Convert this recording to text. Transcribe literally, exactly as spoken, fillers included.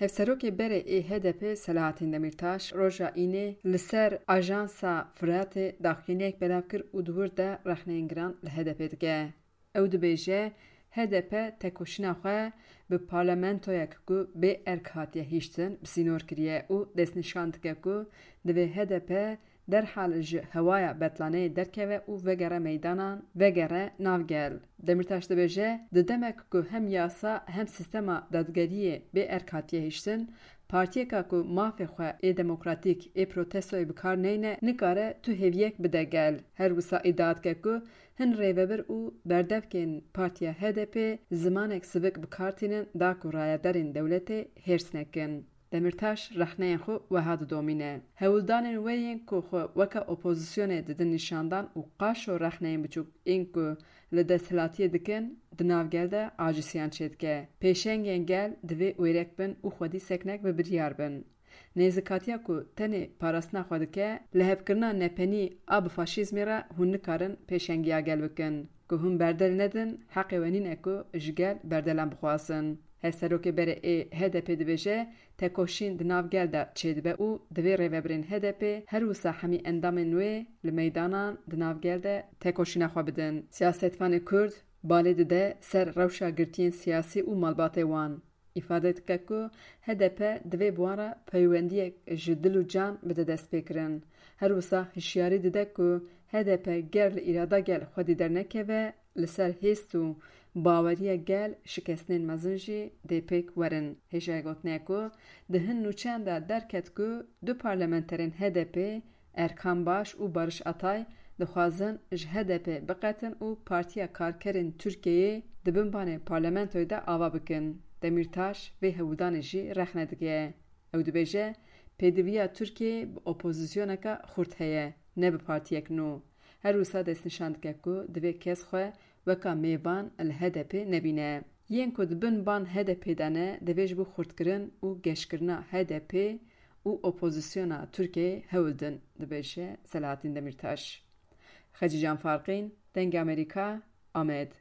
Hevserokê berê ê H D P Selahattin Demirtaş roja Înê li ser Ajansa Firatê daxuyaniyek belav kir û di wir de rexneyên giran li H D P dike. Ew dibêje, H D P tekoşîna xwe bi parlamentoyek ku bê erk hatiye hiştin bi sînor kiriye û destnîşan dike ku divê H D P derhal ji hewaya betlaneyê derkeve û vegere meydanan, vegere nav gel. Demirtaş dibêje, di demek ku hem yasa hem sîstema dadgeriyê bê erk hatiye hiştin, partiyeka ku mafê xwe ê demokratîk ê protestoyê bi kar neyne, nikare tu hêviyek bide gel. Her wisa îdia dike ku hin rêvebir û berdevkên Partiya H D P zimanek sivik bi kar tînin da ku rayedarên dewletê hêrs nekin. Demirtaş rexneyên xwe weha didomîne. Hewldanên we yên ku xwe weke opozisyonê didin nîşandan û qaşo rexneyên biçûk ên ku li desthilatiyê dikin, di nav gel de acisiyan çêdike. Pêşengên gel divê wêrek bin û xwedî seknek bi biryar bin. Nêzikatiya ku tenê parastina xwe dike, lihevkirina nepenî a bi faşîzmê re hûn nikarin pêşengiya gel bikin. Ku hûn berdel nedin, heqê we nîne ku ji gel berdelan bixwazin. Hevserokê berê ê H D P dibêje, tekoşîn di nav gel de çêdibe û divê rêvebirên H D P her wisa hemî endamên wê li meydanan di nav gel de tekoşîna xwe bidin. Siyasetvanê Kurd balê dide ser rewşa girtiyên siyasî û malbatê wan. Îfade dike ku H D P divê bi wan re peywendiyek ji dil û can bide destpêkirin. Her wisa hişyarî dide ku H D P ger li îrada gel xwedî dernekeve, li ser hêst û baweriya gel şikestnên mezin jî dê pêk werin. Hêjayê gotinê ku di hin nûçeyan de derket ku du parlamenterên H D P Erkan Baş û Barış Atay dixwazin ji H D P biqetin û Partiya Karkerên Tirkiyeyê di bin banê parlamentoyê de ava bikin. Demîrtaş vê hewldanê jî rexne dike. Ew dibêje, pêdiviya Tirkiyeyê bi opozisyoneke xurt heye, ne bi partiyek nû. Her wisa destnîşan dike ku divê kes xwe weka mêvan li H D P nebîne. Yên ku di bin ban H D P de ne, divê ji bo xurtkirin û geşkirina H D P û opozisyona Tirkiyeyê hewl din, dibêje Selahattin Demirtaş. Xecîcan Farqîn, Dengê Amerîka, Amed.